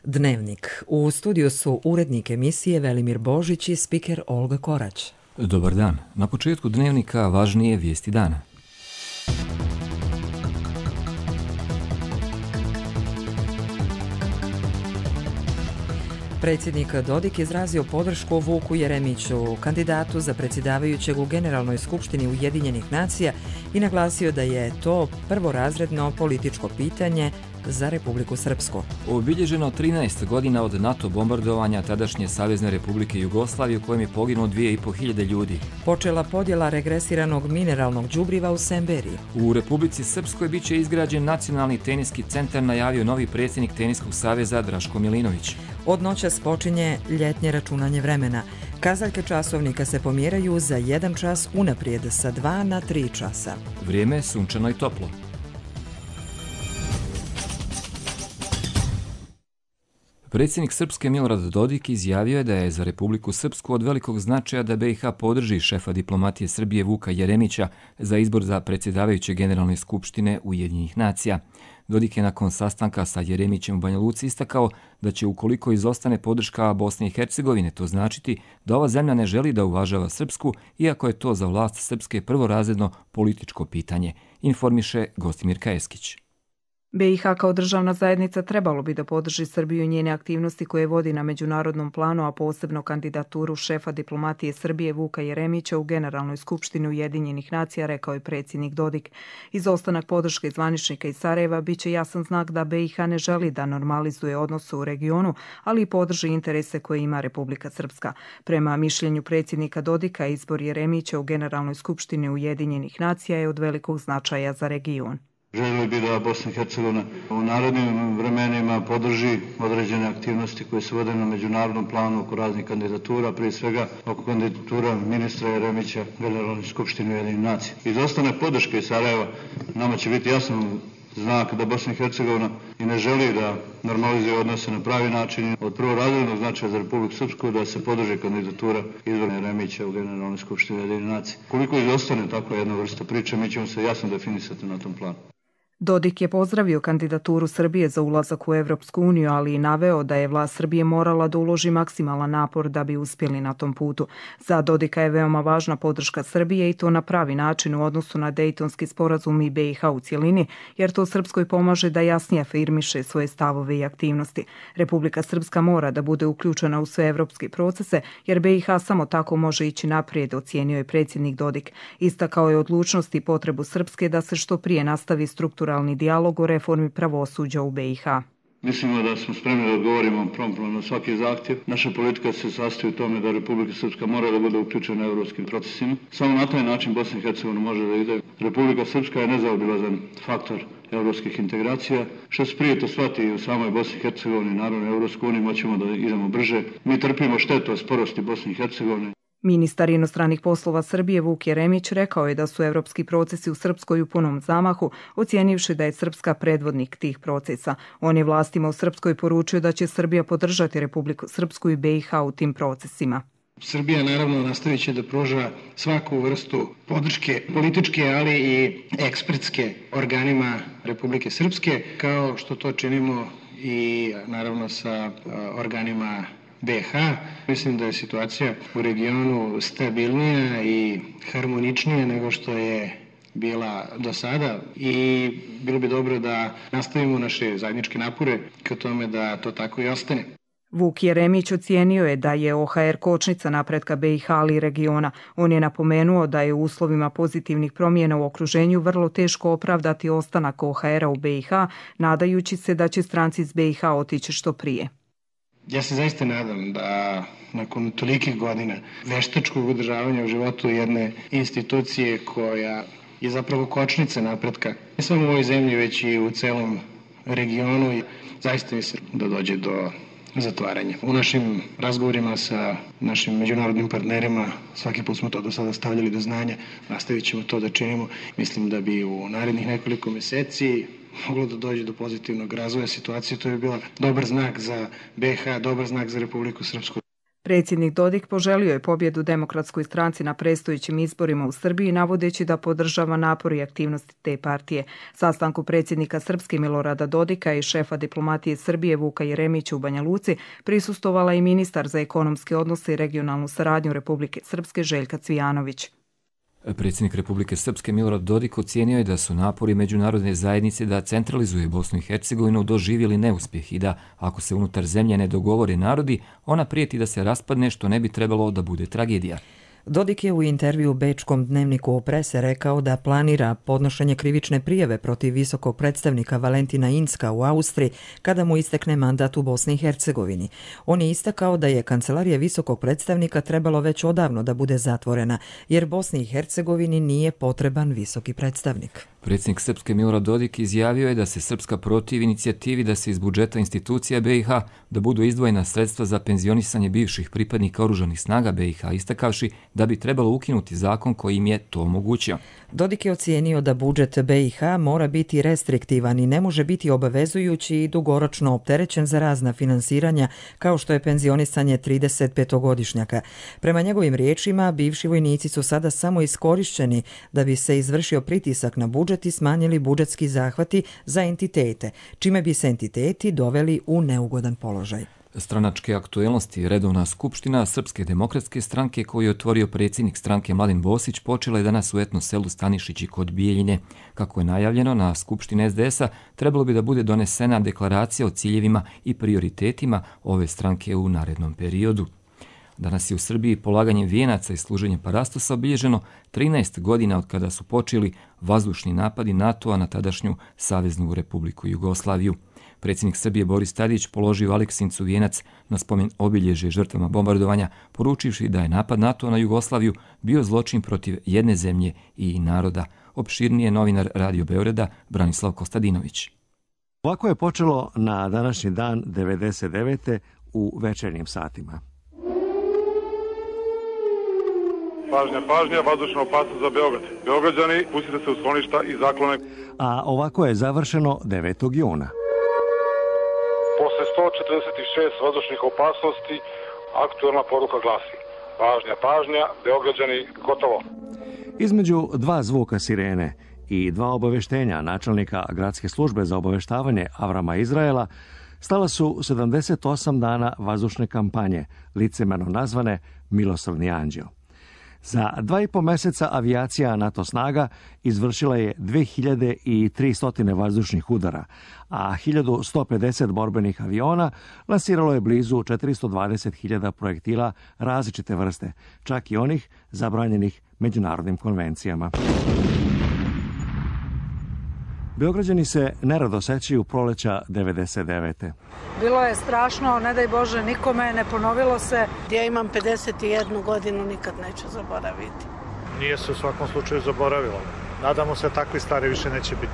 Dnevnik. U studiju su urednik emisije Velimir Božić i spiker Olga Korać. Dobar dan. Na početku Dnevnika važnije vijesti dana. Predsjednik Dodik izrazio podršku Vuku Jeremiću, kandidatu za predsjedavajućeg u Generalnoj skupštini Ujedinjenih nacija i naglasio da je to prvorazredno političko pitanje za Republiku Srpsku. Obilježeno 13 godina od NATO bombardovanja tadašnje Savezne Republike Jugoslavije u kojem je poginulo 2500 ljudi. Počela podjela regresiranog mineralnog đubriva u Semberiji. U Republici Srpskoj bit će izgrađen Nacionalni teniski centar, najavio novi predsjednik Teniskog saveza Draško Milinović. Od noćas počinje ljetnje računanje vremena. Kazaljke časovnika se pomjeraju za 1 čas unaprijed sa 2 na 3 časa. Vrijeme je sunčano i toplo. Predsjednik Srpske Milorad Dodik izjavio je da je za Republiku Srpsku od velikog značaja da BiH podrži šefa diplomatije Srbije Vuka Jeremića za izbor za predsjedavajuće Generalne skupštine Ujedinjenih nacija. Dodik je nakon sastanka sa Jeremićem u Banja Luci istakao da će, ukoliko izostane podrška Bosne i Hercegovine, to značiti da ova zemlja ne želi da uvažava Srpsku, iako je to za vlast Srpske prvorazredno političko pitanje, informiše Gostimir Kajeskić. BiH kao državna zajednica trebalo bi da podrži Srbiju i njene aktivnosti koje vodi na međunarodnom planu, a posebno kandidaturu šefa diplomatije Srbije Vuka Jeremića u Generalnoj skupštini Ujedinjenih nacija, rekao je predsjednik Dodik. Izostanak podrške zvaničnika iz Sarajeva biće jasan znak da BiH ne želi da normalizuje odnose u regionu, ali i podrži interese koje ima Republika Srpska. Prema mišljenju predsjednika Dodika, izbor Jeremića u Generalnoj skupštini Ujedinjenih nacija je od velikog značaja za region. Želio bi da Bosna i Hercegovina u narednim vremenima podrži određene aktivnosti koje se vode na međunarodnom planu oko raznih kandidatura, prije svega oko kandidatura ministra Jeremića Generalne skupštine Ujedinjenih nacija. Izostanak podrške iz Sarajeva nama će biti jasan znak da Bosna i Hercegovina i ne želi da normalizuje odnose na pravi način. Od prvorazrednog značaja za Republiku Srpsku da se podrži kandidatura izbora Jeremića u Generalnoj skupštini Ujedinjenih nacija. Koliko izostane takva jedna vrsta priče, mi ćemo se jasno definisati na tom planu. Dodik je pozdravio kandidaturu Srbije za ulazak u Evropsku uniju, ali i naveo da je vlast Srbije morala da uloži maksimalan napor da bi uspjeli na tom putu. Za Dodika je veoma važna podrška Srbije i to na pravi način u odnosu na Dejtonski sporazum i BiH u cjelini, jer to Srpskoj pomaže da jasnije afirmiše svoje stavove i aktivnosti. Republika Srpska mora da bude uključena u sve evropske procese, jer BiH samo tako može ići naprijed, ocijenio je predsjednik Dodik. Istakao je odlučnost i potrebu Srpske da se što prije nastavi strukturalni dijalog o reformi pravosuđa u BiH. Mislimo da smo spremni da odgovorimo promptno na svaki zahtjev. Naša politika se sastoji u tome da Republika Srpska mora da bude uključena u evropskim procesima. Samo na taj način Bosna i Hercegovina može da ide. Republika Srpska je nezaobilazan faktor evropskih integracija. Što se prije to shvati u samoj Bosni i Hercegovini, naravno Evropskoj uniji, moćemo da idemo brže. Mi trpimo štetu od sporosti Bosne i Hercegovine. Ministar inostranih poslova Srbije Vuk Jeremić rekao je da su evropski procesi u Srpskoj u punom zamahu, ocijenivši da je Srpska predvodnik tih procesa. On je vlastima u Srpskoj poručio da će Srbija podržati Republiku Srpsku i BiH u tim procesima. Srbija naravno nastavit će da pruža svaku vrstu podrške političke, ali i ekspertske organima Republike Srpske, kao što to činimo i naravno sa organima BiH. Mislim da je situacija u regionu stabilnija i harmoničnija nego što je bila do sada i bilo bi dobro da nastavimo naše zajedničke napore ka tome da to tako i ostane. Vuk Jeremić ocijenio je da je OHR kočnica napretka BiH, ali i regiona. On je napomenuo da je u uslovima pozitivnih promjena u okruženju vrlo teško opravdati ostanak OHR-a u BiH, nadajući se da će stranci iz BiH otići što prije. Ja se zaista nadam da nakon tolikih godina veštačkog održavanja u životu jedne institucije koja je zapravo kočnica napretka, ne samo u ovoj zemlji, već i u celom regionu, zaista mislim da dođe do zatvaranja. U našim razgovorima sa našim međunarodnim partnerima svaki put smo to do sada stavljali do znanja, nastavit ćemo to da činimo. Mislim da bi u narednih nekoliko mjeseci moglo da dođe do pozitivnog razvoja situacije. To je bila dobar znak za BiH, dobar znak za Republiku Srpsku. Predsjednik Dodik poželio je pobjedu Demokratskoj stranci na predstojećim izborima u Srbiji, navodeći da podržava napor i aktivnosti te partije. Sastanku predsjednika Srpske Milorada Dodika i šefa diplomatije Srbije Vuka Jeremića u Banja Luci prisustvovala i ministar za ekonomske odnose i regionalnu saradnju Republike Srpske Željka Cvijanović. Predsjednik Republike Srpske Milorad Dodik ocijenio je da su napori međunarodne zajednice da centralizuje Bosnu i Hercegovinu doživjeli neuspjeh i da, ako se unutar zemlje ne dogovore narodi, ona prijeti da se raspadne, što ne bi trebalo da bude tragedija. Dodik je u intervju bečkom dnevniku Prese rekao da planira podnošenje krivične prijave protiv visokog predstavnika Valentina Incka u Austriji kada mu istekne mandat u Bosni i Hercegovini. On je istakao da je kancelarija visokog predstavnika trebalo već odavno da bude zatvorena, jer Bosni i Hercegovini nije potreban visoki predstavnik. Predsjednik Srpske Milorad Dodik izjavio je da se Srpska protivi inicijativi da se iz budžeta institucija BiH da budu izdvojena sredstva za penzionisanje bivših pripadnika oružanih snaga BiH, istakavši da bi trebalo ukinuti zakon koji im je to omogućio. Dodik je ocijenio da budžet BiH mora biti restriktivan i ne može biti obavezujući i dugoročno opterećen za razna finansiranja, kao što je penzionisanje 35-godišnjaka. Prema njegovim riječima, bivši vojnici su sada samo iskorišćeni da bi se izvršio pritisak na budžet i smanjili budžetski zahvati za entitete, čime bi se entiteti doveli u neugodan položaj. Stranačke aktuelnosti redovna skupština Srpske demokratske stranke koju je otvorio predsjednik stranke Mladen Bosić počela je danas u etno selu Stanišići kod Bijeljine. Kako je najavljeno, na skupštini SDS-a trebalo bi da bude donesena deklaracija o ciljevima i prioritetima ove stranke u narednom periodu. Danas je u Srbiji polaganjem vijenaca i služenjem parastosa obilježeno 13 godina od kada su počeli vazdušni napadi NATO-a na tadašnju Saveznu Republiku Jugoslaviju. Predsjednik Srbije Boris Tadić položio Aleksincu vijenac na spomen obilježje žrtvama bombardovanja, poručivši da je napad NATO na Jugoslaviju bio zločin protiv jedne zemlje i naroda. Opširnije novinar Radio Beograda Branislav Kostadinović. Ovako je počelo na današnji dan 99. u večernjim satima. Pažnja, pažnja, vazdušna opasnost za Beograd. Beograđani, pustite se u skloništa i zaklone. A ovako je završeno 9. juna. Posle 146 vazdušnih opasnosti, aktuelna poruka glasi: pažnja, pažnja, Beograđani, gotovo. Između dva zvuka sirene i dva obaveštenja načelnika gradske službe za obaveštavanje Avrama Izraela stala su 78 dana vazdušne kampanje, licemerno nazvane Milosrdni anđeo. Za 2,5 meseca avijacija NATO snaga izvršila je 2300 vazdušnih udara, a 1150 borbenih aviona lansiralo je blizu 420.000 projektila različite vrste, čak i onih zabranjenih međunarodnim konvencijama. Beograđani se nerado sećaju proleća 99. Bilo je strašno, ne daj Bože nikome, ne ponovilo se. Ja imam 51 godinu, nikad neću zaboraviti. Nije se u svakom slučaju zaboravilo. Nadamo se takvi stvari više neće biti.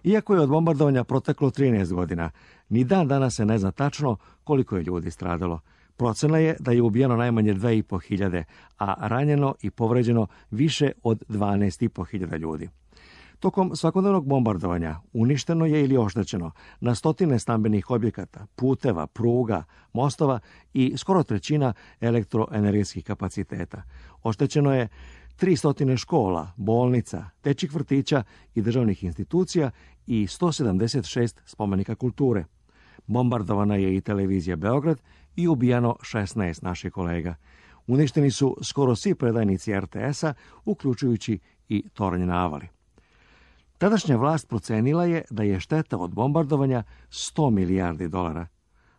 Iako je od bombardovanja proteklo 13 godina, ni dan danas se ne zna tačno koliko je ljudi stradalo. Procena je da je ubijeno najmanje 2.500, a ranjeno i povređeno više od 12.500 ljudi. Tokom svakodnevnog bombardovanja uništeno je ili oštećeno na stotine stambenih objekata, puteva, pruga, mostova i skoro trećina elektroenergetskih kapaciteta. Oštećeno je 300 škola, bolnica, dečjih vrtića i državnih institucija i 176 spomenika kulture. Bombardovana je i televizija Beograd i ubijano 16 naših kolega. Uništeni su skoro svi predajnici RTS-a, uključujući i tornje na Avali. Tadašnja vlast procenila je da je šteta od bombardovanja $100 milijardi.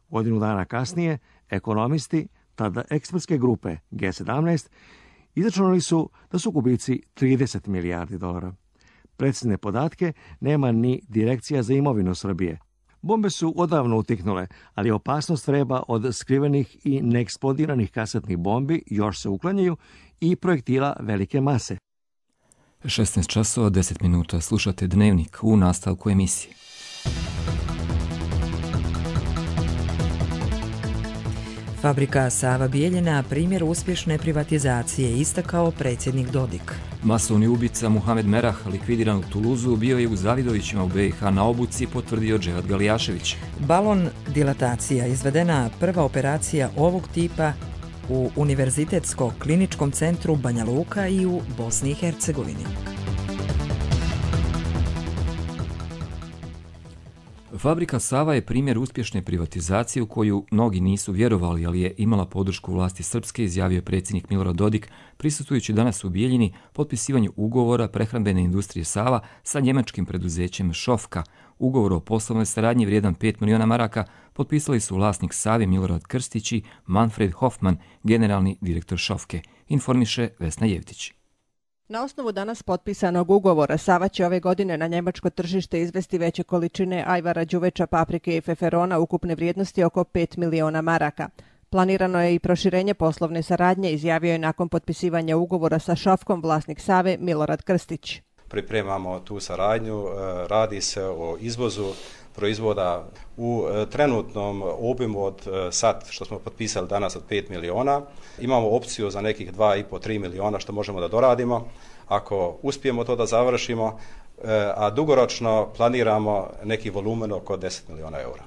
Godinu dana kasnije, ekonomisti, tada ekspertske grupe G17, izračunali su da su gubici $30 milijardi. Precizne podatke nema ni Direkcija za imovinu Srbije. Bombe su odavno utihnule, ali opasnost vreba od skrivenih i neeksplodiranih kasetnih bombi još se uklanjaju i projektila velike mase. 16 časova 10 minuta slušate Dnevnik u nastavku emisije. Fabrika Sava Bijeljina primjer uspješne privatizacije, istakao predsjednik Dodik. Masovni ubica Muhamed Merah, likvidiran u Tuluzu, bio je u Zavidovićima u BiH na obuci, potvrdio Dževad Galijašević. Balon dilatacija, izvedena prva operacija ovog tipa u Univerzitetsko-kliničkom centru Banja Luka i u Bosni i Hercegovini. Fabrika Sava je primjer uspješne privatizacije u koju mnogi nisu vjerovali, ali je imala podršku vlasti srpske, izjavio predsjednik Milorad Dodik, prisustvujući danas u Bijeljini potpisivanju ugovora prehrambene industrije Sava sa njemačkim preduzećem Šofka. Ugovor o poslovnoj saradnji vrijedan 5 miliona maraka potpisali su vlasnik Save Milorad Krstić i Manfred Hoffman, generalni direktor Šofke, informiše Vesna Jevtić. Na osnovu danas potpisanog ugovora Sava će ove godine na njemačko tržište izvesti veće količine ajvara, đuveča, paprike i feferona ukupne vrijednosti oko 5 miliona maraka. Planirano je i proširenje poslovne saradnje, izjavio je nakon potpisivanja ugovora sa Šofkom vlasnik Save Milorad Krstić. Pripremamo tu saradnju, radi se o izvozu proizvoda u trenutnom obimu od sad što smo potpisali danas od 5 miliona. Imamo opciju za nekih 2,5-3 miliona što možemo da doradimo ako uspijemo to da završimo, a dugoročno planiramo neki volumen oko 10 miliona eura.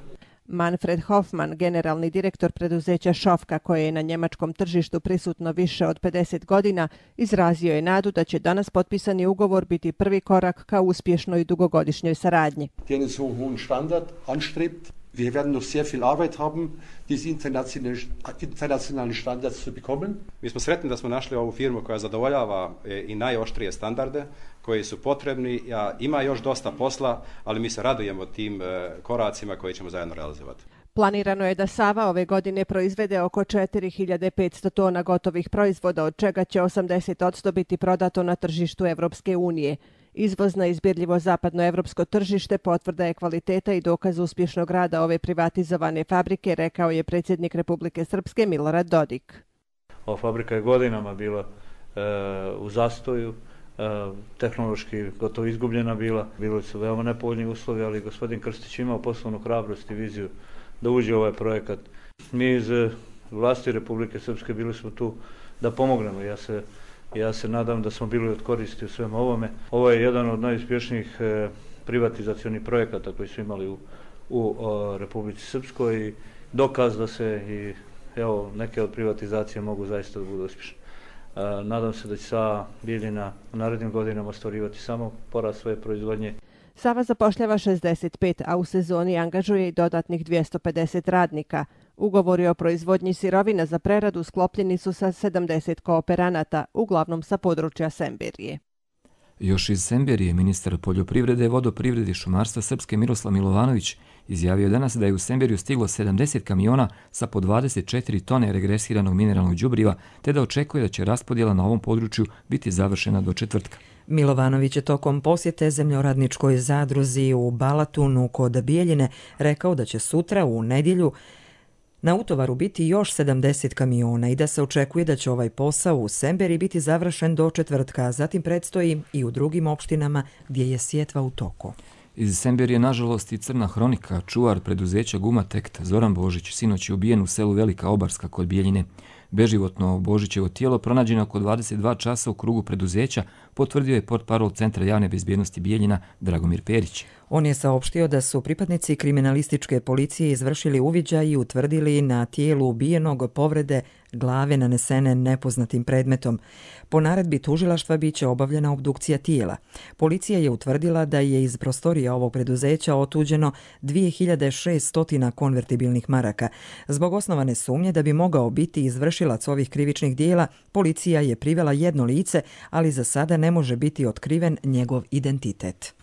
Manfred Hoffman, generalni direktor preduzeća Šofka, koje je na njemačkom tržištu prisutno više od 50 godina, izrazio je nadu da će danas potpisani ugovor biti prvi korak ka uspješnoj dugogodišnjoj saradnji. Der so hohen Standard anstrebt. Wir werden noch sehr viel Arbeit haben, diese internationalen Standards zu bekommen. Mi smo sretni da smo našli ovu firmu koja zadovoljava i najoštrije standarde koji su potrebni. Ima još dosta posla, ali mi se radujemo tim koracima koje ćemo zajedno realizovati. Planirano je da Sava ove godine proizvede oko 4500 tona gotovih proizvoda, od čega će 80% biti prodato na tržištu Evropske unije. Izvoz na izbirljivo zapadnoevropsko tržište potvrda je kvaliteta i dokaz uspješnog rada ove privatizovane fabrike, rekao je predsjednik Republike Srpske Milorad Dodik. Ova fabrika je godinama bila u zastoju, tehnološki gotovo izgubljena bila. Bili su veoma nepovoljni uslovi, ali gospodin Krstić imao poslovnu hrabrost i viziju da uđe u ovaj projekat. Mi iz vlasti Republike Srpske bili smo tu da pomognemo. Ja se nadam da smo bili od koristi u svem ovome. Ovo je jedan od najuspješnijih privatizacionih projekata koji su imali u Republici Srpskoj i dokaz da se i neke od privatizacije mogu zaista da budu uspješne. Nadam se da će Sava Bijeljina u narednim godinama ostvarivati samo porast svoje proizvodnje. Sava zapošljava 65, a u sezoni angažuje i dodatnih 250 radnika. Ugovori o proizvodnji sirovina za preradu sklopljeni su sa 70 kooperanata, uglavnom sa područja Semberije. Još iz Semberije ministar poljoprivrede, vodoprivrede i šumarstva Srpske Miroslav Milovanović izjavio danas da je u Semberiju stiglo 70 kamiona sa po 24 tone regresiranog mineralnog đubriva, te da očekuje da će raspodjela na ovom području biti završena do četvrtka. Milovanović je tokom posjete zemljoradničkoj zadruzi u Balatunu kod Bijeljine rekao da će sutra u nedjelju na utovaru biti još 70 kamiona i da se očekuje da će ovaj posao u Semberi biti završen do četvrtka, a zatim predstoji i u drugim opštinama gdje je sjetva u toku. Iz Semberije, nažalost, i crna hronika. Čuvar preduzeća Gumatekt Zoran Božić sinoć je ubijen u selu Velika Obarska kod Bijeljine. Beživotno Božićevo tijelo pronađeno oko 22 časa u krugu preduzeća, potvrdio je portparol Centra javne bezbjednosti Bijeljina Dragomir Perić. On je saopštio da su pripadnici kriminalističke policije izvršili uviđaj i utvrdili na tijelu ubijenog povrede glave nanesene nepoznatim predmetom. Po naredbi tužilaštva biće obavljena obdukcija tijela. Policija je utvrdila da je iz prostorija ovog preduzeća otuđeno 2600 konvertibilnih maraka. Zbog osnovane sumnje da bi mogao biti izvršilac ovih krivičnih dijela, policija je privela jedno lice, ali za sada ne može biti otkriven njegov identitet.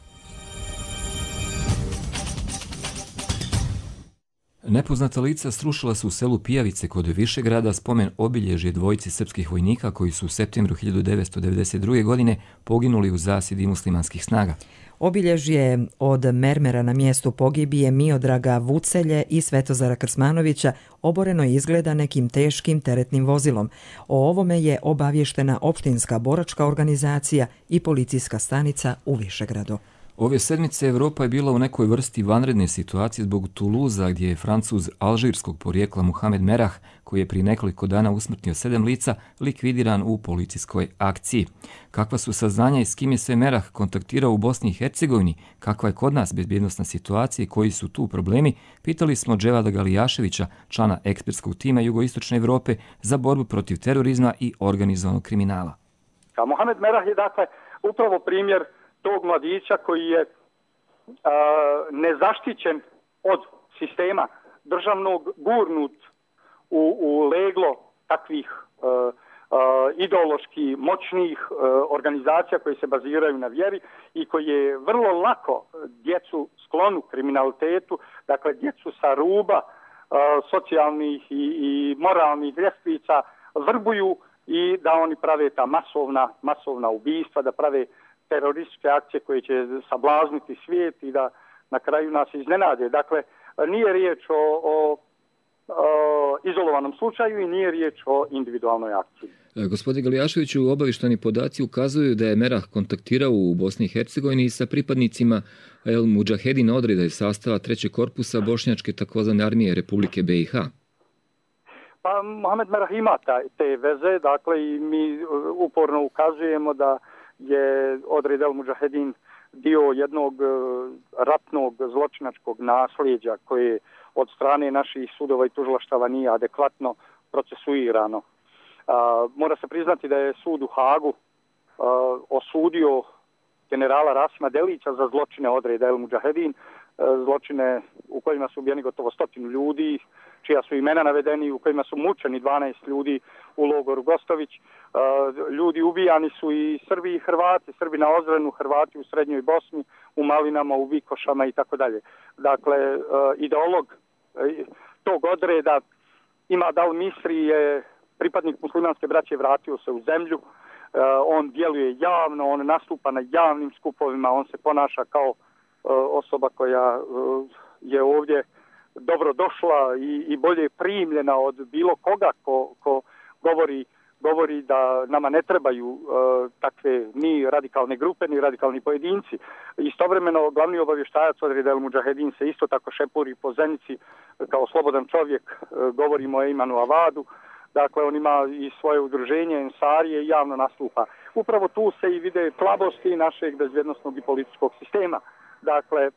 Nepoznata lica srušila su u selu Pijavice kod Višegrada spomen obilježje dvojici srpskih vojnika koji su u septembru 1992. godine poginuli u zasjedi muslimanskih snaga. Obilježje od mermera na mjestu pogibije Miodraga Vucelje i Svetozara Krsmanovića oboreno izgleda nekim teškim teretnim vozilom. O ovome je obavještena opštinska boračka organizacija i policijska stanica u Višegradu. Ove sedmice Evropa je bila u nekoj vrsti vanredne situacije zbog Tuluza, gdje je Francuz alžirskog porijekla Mohamed Merah, koji je prije nekoliko dana usmrtio 7 lica, likvidiran u policijskoj akciji. Kakva su saznanja i s kim je sve Merah kontaktirao u Bosni i Hercegovini, kakva je kod nas bezbjednosna situacija i koji su tu problemi, pitali smo Dževada Galijaševića, člana ekspertskog tima Jugoistočne Evrope za borbu protiv terorizma i organizovanog kriminala. Mohamed Merah je dakle upravo primjer tog mladića koji je nezaštićen od sistema državnog, gurnut u leglo takvih ideološki moćnih organizacija koje se baziraju na vjeri i koji je vrlo lako djecu sklonu kriminalitetu, dakle djecu sa ruba socijalnih i moralnih ljestvica vrbuju i da oni prave ta masovna ubistva, da prave terorističke akcije koje će sablazniti svijet i da na kraju nas iznenade. Dakle, nije riječ o izolovanom slučaju i nije riječ o individualnoj akciji. Gospodine Galijaševiću, obavještajni podaci ukazuju da je Merah kontaktirao u Bosni i Hercegovini sa pripadnicima El Mudžahedin odreda iz sastava 3. korpusa bošnjačke takozvane armije Republike BiH. Pa Mohamed Merah ima te veze, dakle i mi uporno ukazujemo da je odred El Mudžahedin dio jednog ratnog zločinačkog nasljeđa koje od strane naših sudova i tužilaštava nije adekvatno procesuirano. Mora se priznati da je sud u Hagu osudio generala Rasima Delića za zločine odreda El Mudžahedin, zločine u kojima su ubijeni gotovo 100 ljudi, čija su imena navedeni, u kojima su mučeni 12 ljudi u logoru Gostović. Ljudi ubijani su i Srbi i Hrvati, Srbi na Ozrenu, Hrvati u Srednjoj Bosni, u Malinama, u Vikošama i tako dalje. Dakle, ideolog tog odreda Imad al-Misri je pripadnik muslimanske braće, vratio se u zemlju, on djeluje javno, on nastupa na javnim skupovima, on se ponaša kao osoba koja je ovdje dobro došla i bolje primljena od bilo koga ko govori da nama ne trebaju takve ni radikalne grupe, ni radikalni pojedinci. Istovremeno, glavni obavještajac odreda El Mudžahedin se isto tako šepuri po Zenici kao slobodan čovjek, govorimo o Ejmanu Avadu. Dakle, on ima i svoje udruženje, Ensarije i javno nastupa. Upravo tu se i vide slabosti našeg bezbjednosnog i političkog sistema. Dakle,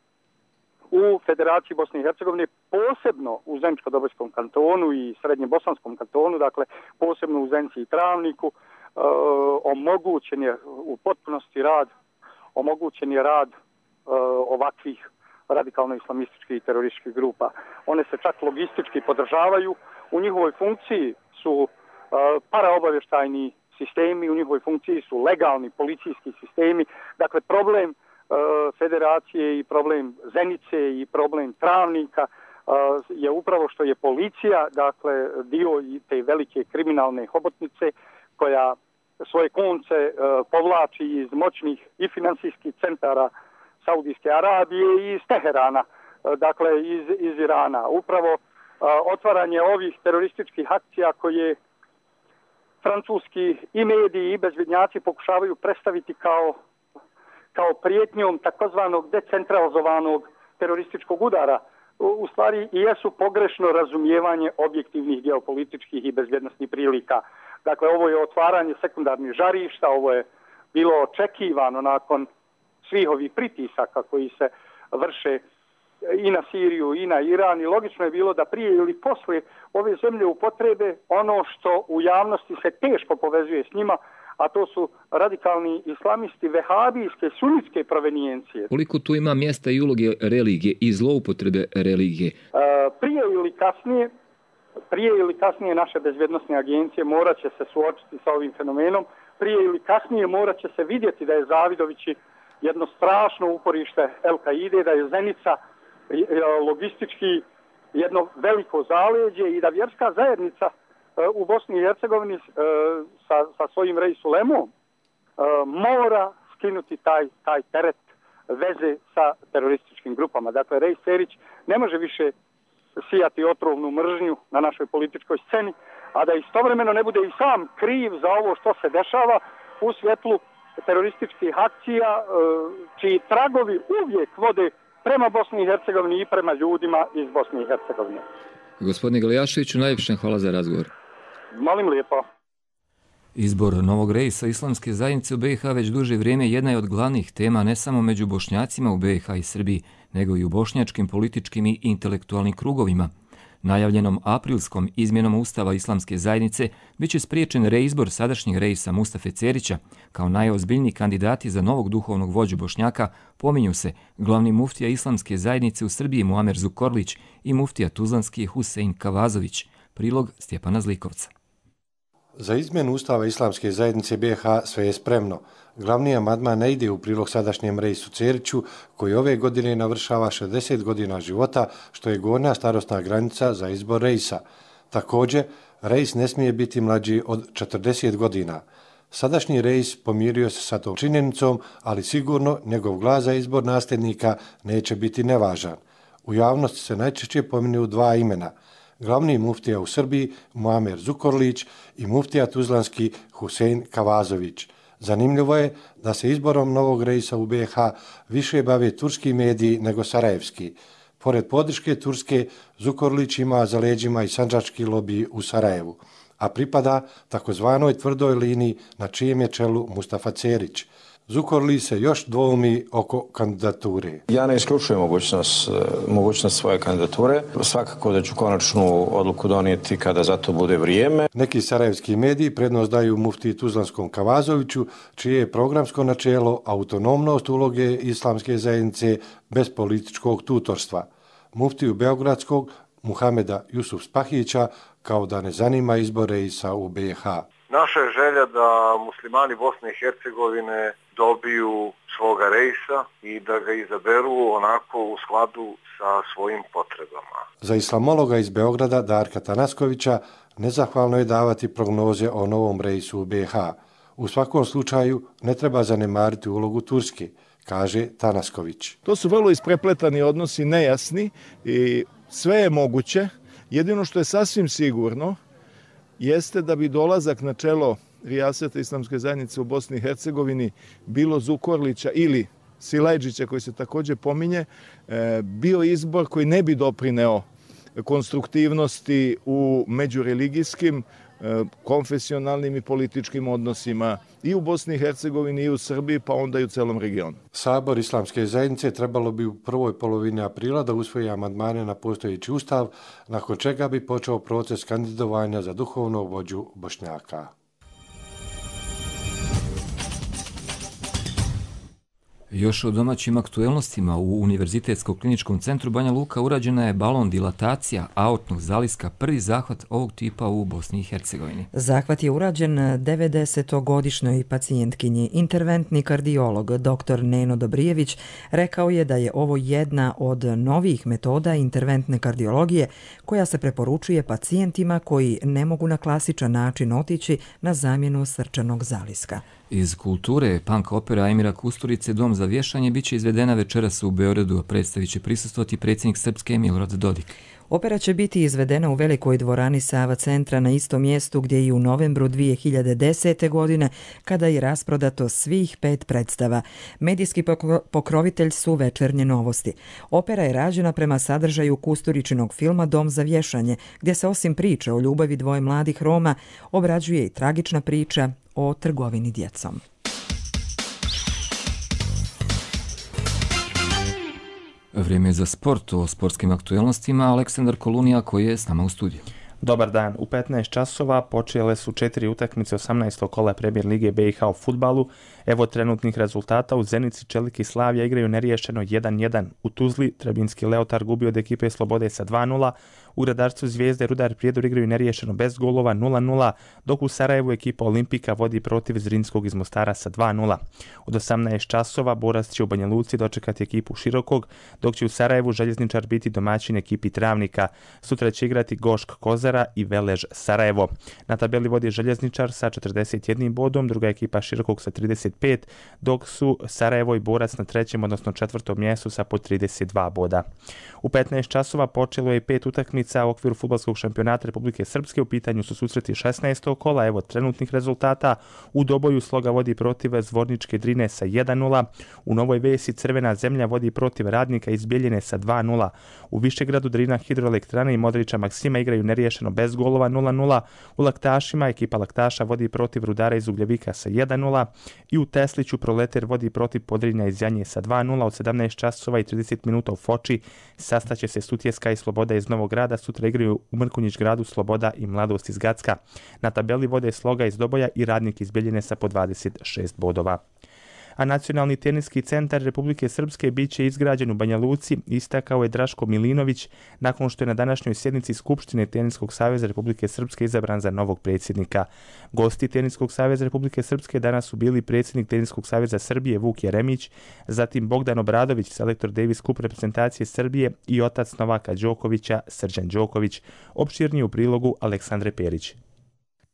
u Federaciji Bosne i Hercegovine, posebno u Zeničko-Dobojskom kantonu i Srednje-Bosanskom kantonu, dakle posebno u Zenici i Travniku, omogućen je u potpunosti rad ovakvih radikalno-islamističkih i terorističkih grupa. One se čak logistički podržavaju, u njihovoj funkciji su paraobavještajni sistemi, u njihovoj funkciji su legalni policijski sistemi. Dakle, problem Federacije i problem Zenice i problem Travnika je upravo što je policija, dakle, dio te velike kriminalne hobotnice koja svoje konce povlači iz moćnih i financijskih centara Saudijske Arabije i iz Teherana, dakle iz Irana. Upravo otvaranje ovih terorističkih akcija koje francuski i mediji i bezbjednjaci pokušavaju predstaviti kao prijetnjom takozvanog decentralizovanog terorističkog udara, u stvari i jesu pogrešno razumijevanje objektivnih geopolitičkih i bezbjednosnih prilika. Dakle, ovo je otvaranje sekundarnih žarišta, ovo je bilo očekivano nakon svih ovih pritisaka koji se vrše i na Siriju i na Iran i logično je bilo da prije ili poslije ove zemlje upotrebe ono što u javnosti se teško povezuje s njima, a to su radikalni islamisti vehabijske, sunitske provenijencije. Koliko tu ima mjesta i uloge religije i zloupotrebe religije? Prije ili kasnije naše bezbjednosne agencije morat će se suočiti sa ovim fenomenom. Prije ili kasnije morat će se vidjeti da je Zavidovići jedno strašno uporište El-Kaide, da je Zenica logistički jedno veliko zaleđe i da vjerska zajednica u Bosni i Hercegovini sa svojim Reisul-Lemom mora skinuti taj teret veze sa terorističkim grupama. Dakle, Rej Serić ne može više sijati otrovnu mržnju na našoj političkoj sceni, a da istovremeno ne bude i sam kriv za ovo što se dešava u svjetlu terorističkih akcija čiji tragovi uvijek vode prema Bosni i Hercegovini i prema ljudima iz Bosne i Hercegovine. Gospodine Galijaševiću, najljepše hvala za razgovor. Molim lijepo. Izbor novog reisa islamske zajednice u BiH već duže vrijeme jedna je od glavnih tema ne samo među Bošnjacima u BiH i Srbiji, nego i u bošnjačkim političkim i intelektualnim krugovima. Najavljenom aprilskom izmjenom Ustava islamske zajednice biće spriječen reizbor sadašnjeg reisa Mustafe Cerića. Kao najozbiljniji kandidati za novog duhovnog vođu Bošnjaka pominju se glavni muftija islamske zajednice u Srbiji Muamer Zukorlić i muftija tuzlanski Husein Kavazović. Prilog Stjepana Zlikovca. Za izmjenu Ustava islamske zajednice BiH sve je spremno. Glavni amandman ne ide u prilog sadašnjem reisu Ceriću, koji ove godine navršava 60 godina života, što je gornja starosna granica za izbor reisa. Također, reis ne smije biti mlađi od 40 godina. Sadašnji reis pomirio se sa tom činjenicom, ali sigurno njegov glas za izbor nasljednika neće biti nevažan. U javnosti se najčešće pominju dva imena. Glavni muftija u Srbiji Muamer Zukorlić i muftija tuzlanski Husein Kavazović. Zanimljivo je da se izborom novog reisa u BiH više bave turski mediji nego sarajevski. Pored podrške Turske, Zukorlić ima za leđima i sandžački lobij u Sarajevu, a pripada takozvanoj tvrdoj liniji na čijem je čelu Mustafa Cerić. Zukorlić se još dvoumi oko kandidature. Ja ne isključujem mogućnost svoje kandidature. Svakako da ću konačnu odluku donijeti kada za to bude vrijeme. Neki sarajevski mediji prednost daju muftiji tuzlanskom Kavazoviću, čije je programsko načelo autonomnost uloge islamske zajednice bez političkog tutorstva. Muftiju beogradskog Muhameda Jusuf Spahića kao da ne zanima izbor reisa u BiH. Naša je želja da muslimani Bosne i Hercegovine dobiju svoga reisa i da ga izaberu onako u skladu sa svojim potrebama. Za islamologa iz Beograda Darka Tanaskovića nezahvalno je davati prognoze o novom reisu u BiH. U svakom slučaju ne treba zanemariti ulogu Turske, kaže Tanasković. To su vrlo isprepletani odnosi, nejasni i sve je moguće. Jedino što je sasvim sigurno jeste da bi dolazak na čelo rijaseta islamske zajednice u Bosni i Hercegovini bilo Zukorlića ili Silajđića, koji se također pominje, bio izbor koji ne bi doprineo konstruktivnosti u međureligijskim, konfesionalnim i političkim odnosima i u Bosni i Hercegovini i u Srbiji, pa onda i u celom regionu. Sabor islamske zajednice trebalo bi u prvoj polovini aprila da usvoji amandmane na postojeći ustav, nakon čega bi počeo proces kandidovanja za duhovnog vođu Bošnjaka. Još o domaćim aktuelnostima u Univerzitetskom kliničkom centru Banja Luka urađena je balon dilatacija aortnog zaliska, prvi zahvat ovog tipa u Bosni i Hercegovini. Zahvat je urađen 90-godišnjoj pacijentkinji. Interventni kardiolog dr. Neno Dobrijević rekao je da je ovo jedna od novih metoda interventne kardiologije koja se preporučuje pacijentima koji ne mogu na klasičan način otići na zamjenu srčanog zaliska. Iz kulture, punk opera Emira Kusturice Dom za vješanje biće izvedena večeras u Beogradu, a predstavit će prisustvovati predsjednik Srpske Milorad Dodik. Opera će biti izvedena u velikoj dvorani Sava centra na istom mjestu gdje i u novembru 2010. godine, kada je rasprodato svih 5 predstava. Medijski pokrovitelj su Večernje novosti. Opera je rađena prema sadržaju Kusturičinog filma Dom za vješanje, gdje se osim priče o ljubavi dvoje mladih Roma obrađuje i tragična priča o trgovini djecom. Vrijeme je za sport. O sportskim aktuelnostima Aleksandar Kolunija koji je s nama u studiju. Dobar dan. U 15 časova počele su 4 utakmice 18. kola Premier Lige BiH u fudbalu. Evo trenutnih rezultata. U Zenici Čelik i Slavija igraju neriješeno 1-1. U Tuzli Trebinski Leotar gubio od ekipe Slobode sa 2-0. U Radarstvu Zvijezde Rudar Prijedor igraju neriješeno bez golova 0-0, dok u Sarajevu ekipa Olimpika vodi protiv Zrinskog iz Mostara sa 2-0. Od 18 časova Borac će u Banja Luci dočekati ekipu Širokog, dok će u Sarajevu Željezničar biti domaćin ekipi Travnika. Sutra će igrati Gošk Kozara i Velež Sarajevo. Na tabeli vodi Željezničar sa 41 bodom, druga ekipa Širokog sa 35, dok su Sarajevo i Borac na trećem, odnosno četvrtom mjestu sa po 32 boda. U 15 časova počelo je 5 utakmica utakmica u okviru fudbalskog šampionata Republike Srpske. U pitanju su susreti 16. kola. Evo trenutnih rezultata. U Doboju Sloga vodi protiv Zvorničke Drine sa 1:0. U Novoj Vesi Crvena zemlja vodi protiv Radnika iz Bjeljine sa 2:0. U Višegradu Drina Hidroelektrana i Modrića Maksima igraju neriješeno bez golova 0:0. U Laktašima ekipa Laktaša vodi protiv Rudara iz Ugljevika sa 1:0. I u Tesliću Proleter vodi protiv Podrinja iz Janje sa 2:0. Od 17 časova i 30 minuta u Foči sastaće se Sutjeska i Sloboda iz Novog Grada. Sutra igraju u Mrkonjić Gradu Sloboda i Mladost iz Gacka. Na tabeli vode Sloga iz Doboja i Radnik iz Bjeljine sa po 26 bodova. A Nacionalni teniski centar Republike Srpske bit će izgrađen u Banja Luci, istakao je Draško Milinović nakon što je na današnjoj sjednici Skupštine Teniskog saveza Republike Srpske izabran za novog predsjednika. Gosti Teniskog saveza Republike Srpske danas su bili predsjednik Teniskog saveza Srbije Vuk Jeremić, zatim Bogdan Obradović, selektor Davis Cup reprezentacije Srbije i otac Novaka Đokovića Srđan Đoković. Opširnije u prilogu Aleksandre Perić.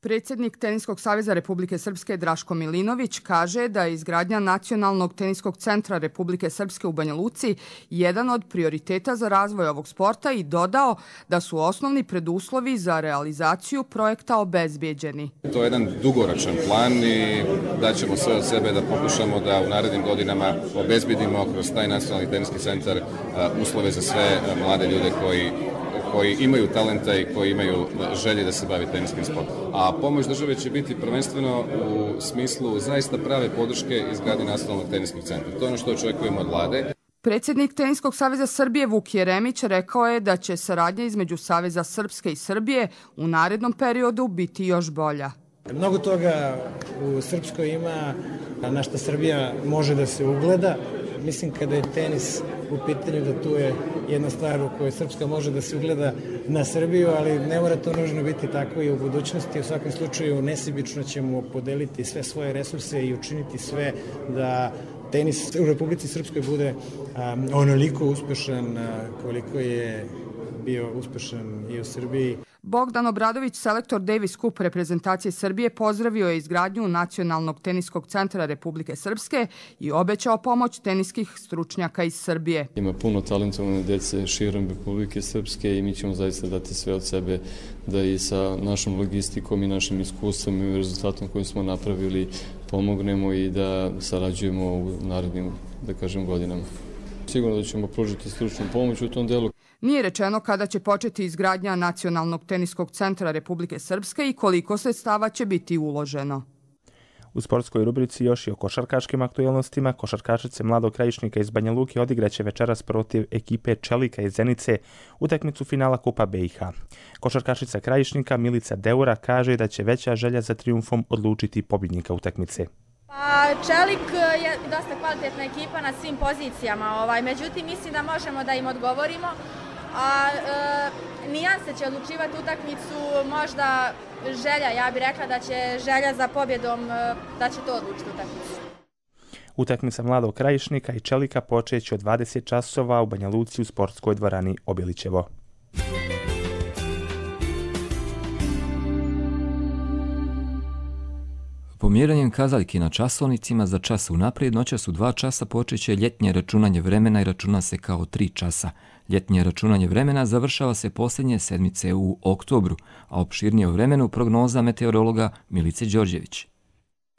Predsjednik Teniskog saveza Republike Srpske Draško Milinović kaže da je izgradnja Nacionalnog teniskog centra Republike Srpske u Banja Luci jedan od prioriteta za razvoj ovog sporta i dodao da su osnovni preduslovi za realizaciju projekta obezbijeđeni. To je jedan dugoročan plan i daćemo sve od sebe da pokušamo da u narednim godinama obezbijedimo kroz taj Nacionalni teniski centar uslove za sve mlade ljude koji imaju talenta i koji imaju želje da se bavi teniskim sportom. A pomoć države će biti prvenstveno u smislu zaista prave podrške izgradnje Nacionalnog teniskog centra. To je ono što očekujemo od vlade. Predsjednik Teniskog saveza Srbije Vuk Jeremić rekao je da će saradnja između Saveza Srpske i Srbije u narednom periodu biti još bolja. Mnogo toga u Srpskoj ima na što Srbija može da se ugleda. Mislim kada je tenis u pitanju da tu je jedna stvar u kojoj Srpska može da se ugleda na Srbiju, ali ne mora to nužno biti tako i u budućnosti. U svakom slučaju nesebično ćemo podeliti sve svoje resurse i učiniti sve da tenis u Republici Srpskoj bude onoliko uspešan koliko je bio uspešan i u Srbiji. Bogdan Obradović, selektor Davis Cup reprezentacije Srbije, pozdravio je izgradnju Nacionalnog teniskog centra Republike Srpske i obećao pomoć teniskih stručnjaka iz Srbije. Ima puno talentovane djece širom Republike Srpske i mi ćemo zaista dati sve od sebe da i sa našom logistikom i našim iskustvom i rezultatom koji smo napravili pomognemo i da sarađujemo u narednim, da kažem, godinama. Sigurno da ćemo pružiti stručnu pomoć u tom delu. Nije rečeno kada će početi izgradnja Nacionalnog teniskog centra Republike Srpske i koliko sredstava će biti uloženo. U sportskoj rubrici još i o košarkaškim aktualnostima. Košarkašice Mladog Krajišnika iz Banja Luke odigraće večeras protiv ekipe Čelika iz Zenice utakmicu finala Kupa BiH. Košarkašica Krajišnika Milica Deura kaže da će veća želja za trijumfom odlučiti pobjednika utakmice. Čelik je dosta kvalitetna ekipa na svim pozicijama, međutim mislim da možemo da im odgovorimo. Nijanse će odlučivati utakmicu, možda želja, ja bih rekla da će želja za pobjedom, da će to odlučiti utakmicu. Utakmica Mladog Krajišnika i Čelika počeće od 20 časova u Banja Luci u sportskoj dvorani Obilićevo. Pomjeranjem kazaljki na časovnicima za čas unaprijed noćas u 2 časa počeće ljetnje računanje vremena i računa se kao 3 časa. Ljetnje računanje vremena završava se posljednje sedmice u oktobru, a opširnije o vremenu prognoza meteorologa Milice Đorđević.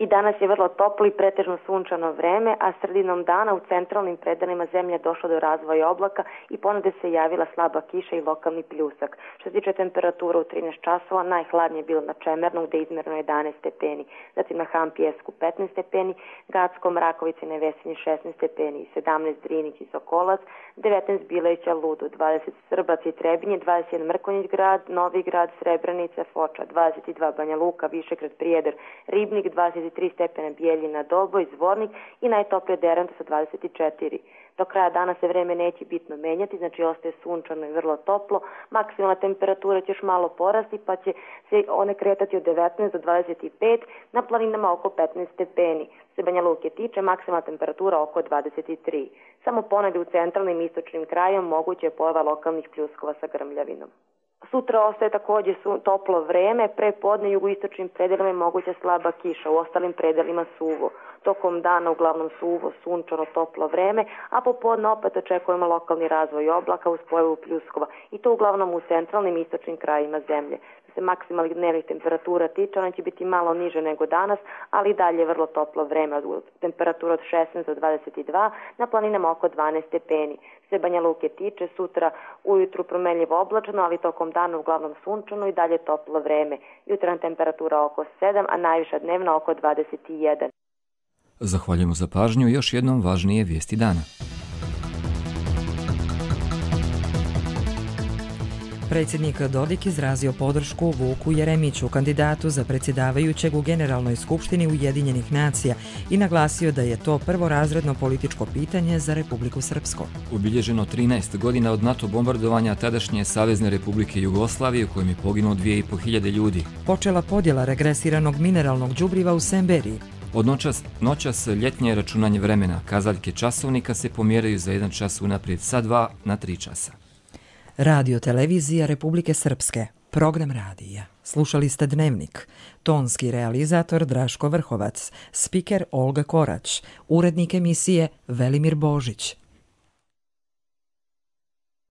I danas je vrlo toplo i pretežno sunčano vreme, a sredinom dana u centralnim predelima zemlje je došlo do razvoja oblaka i ponude se javila slaba kiša i lokalni pljusak. Što se tiče temperatura u 13 časova, najhladnije je bilo na Čemernu gde je izmerno 11 stepeni, zatim na Hampijesku 15 stepeni, Gackom, Rakovici i Nevesinji 16 stepeni, 17 Drinić i Sokolac, 19 Bileća, Ludu, 20 Srbac i Trebinje, 21 Mrkonjić grad, Novi grad, Srebrenica, Foča, 22 Banja Luka, Višegrad, Prijedor, Ribnik, 23 stepena Bijeljina, Doboj, Zvornik i najtoplije Derenta sa 24. Do kraja dana se vreme neće bitno menjati, znači ostaje sunčano i vrlo toplo. Maksimalna temperatura će još malo porasti pa će se one kretati od 19 do 25, na planinama oko 15 stepeni. Se Banja Luke tiče, maksimalna temperatura oko 23. Samo ponegdje u centralnim i istočnim krajom moguće je pojava lokalnih pljuskova sa grmljavinom. Sutra ostaje također toplo vreme, pre podne jugoistočnim predelima je moguća slaba kiša, u ostalim predelima suvo. Tokom dana uglavnom suvo, sunčano, toplo vreme, a popodne opet očekujemo lokalni razvoj oblaka uz pojavu pljuskova i to uglavnom u centralnim i istočnim krajima zemlje. Što se maksimalnih dnevnih temperatura tiče, ona će biti malo niže nego danas, ali i dalje vrlo toplo vreme, temperatura od 16 do 22, na planinama oko 12 stepeni. Se Banja Luke tiče, sutra ujutru promenljivo oblačno, ali tokom dana uglavnom sunčano i dalje toplo vreme. Jutarnja temperatura oko 7, a najviša dnevna oko 21. Zahvaljujemo za pažnju i još jednom važnije vijesti dana. Predsjednik Dodik izrazio podršku Vuku Jeremiću, kandidatu za predsjedavajućeg u Generalnoj skupštini Ujedinjenih nacija i naglasio da je to prvorazredno političko pitanje za Republiku Srpsku. Obilježeno 13 godina od NATO bombardovanja tadašnje Savezne Republike Jugoslavije u kojem je poginulo 2500 ljudi. Počela podjela regresiranog mineralnog đubriva u Semberiji. Od noćas ljetnje računanje vremena. Kazaljke časovnika se pomjeraju za 1 čas unaprijed sa 2 na 3 časa. Radio televizija Republike Srpske. Program radija. Slušali ste Dnevnik. Tonski realizator Draško Vrhovac. Spiker Olga Korać. Urednik emisije Velimir Božić.